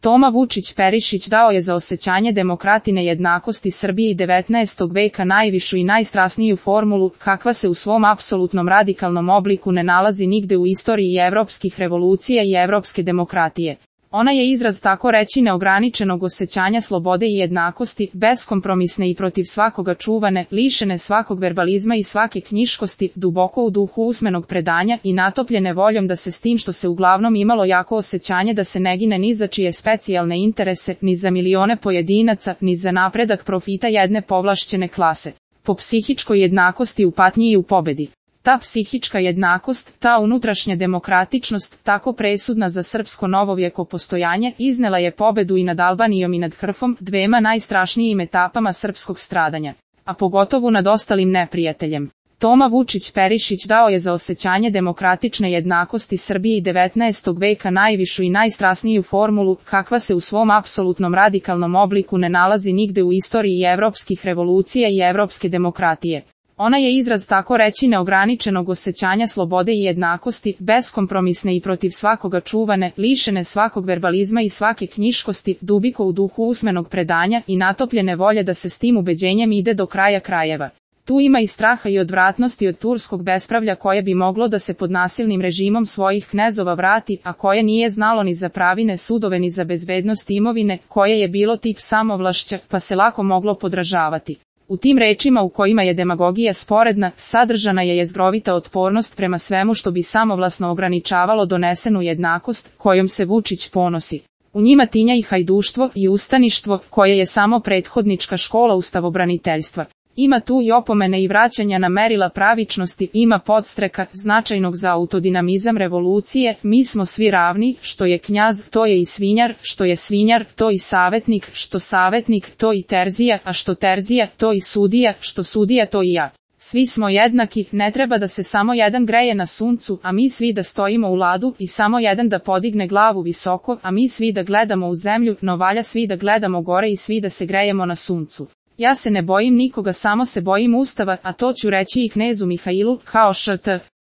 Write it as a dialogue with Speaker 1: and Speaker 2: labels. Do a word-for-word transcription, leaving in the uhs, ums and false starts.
Speaker 1: Toma Vučić Perišić dao je za osećanje demokratine jednakosti Srbiji devetnaestog veka najvišu i najstrasniju formulu, kakva se u svom apsolutnom radikalnom obliku ne nalazi nigde u istoriji evropskih revolucija i evropske demokratije. Ona je izraz tako reći neograničenog osećanja slobode i jednakosti, beskompromisne i protiv svakoga čuvane, lišene svakog verbalizma i svake knjiškosti, duboko u duhu usmenog predanja i natopljene voljom da se s tim što se uglavnom imalo jako osećanje da se ne gine ni za čije specijalne interese, ni za milione pojedinaca, ni za napredak profita jedne povlašćene klase. Po psihičkoj jednakosti u patnji i u pobedi. Ta psihička jednakost, ta unutrašnja demokratičnost, tako presudna za srpsko novovjeko postojanje, iznela je pobedu i nad Albanijom i nad Hrfom, dvema najstrašnijim etapama srpskog stradanja, a pogotovo nad ostalim neprijateljem. Toma Vučić Perišić dao je za osećanje demokratične jednakosti Srbiji devetnaestog veka najvišu i najstrasniju formulu, kakva se u svom apsolutnom radikalnom obliku ne nalazi nigde u istoriji evropskih revolucija i evropske demokratije. Ona je izraz tako reći neograničenog osećanja slobode i jednakosti, beskompromisne i protiv svakoga čuvane, lišene svakog verbalizma i svake knjiškosti, duboko u duhu usmenog predanja i natopljene volje da se s tim ubeđenjem ide do kraja krajeva. Tu ima i straha i odvratnosti od turskog bespravlja koje bi moglo da se pod nasilnim režimom svojih knezova vrati, a koje nije znalo ni za pravine sudove ni za bezbednost imovine, koje je bilo tip samovlašća, pa se lako moglo podražavati. U tim rečima u kojima je demagogija sporedna, sadržana je jezgrovita otpornost prema svemu što bi samovlasno ograničavalo donesenu jednakost, kojom se Vučić ponosi. U njima tinja i hajduštvo i ustaništvo, koje je samo prethodnička škola ustavobraniteljstva. Ima tu i opomene i vraćanja na merila pravičnosti, ima podstreka, značajnog za autodinamizam revolucije, mi smo svi ravni, što je knjaz, to je i svinjar, što je svinjar, to i savetnik, što savetnik, to i terzija, a što terzija, to i sudija, što sudija, to i ja. Svi smo jednaki, ne treba da se samo jedan greje na suncu, a mi svi da stojimo u ladu, i samo jedan da podigne glavu visoko, a mi svi da gledamo u zemlju, no valja svi da gledamo gore i svi da se grejemo na suncu. Ja se ne bojim nikoga, samo se bojim Ustava, a to ću reći i knezu Mihailu, kao št.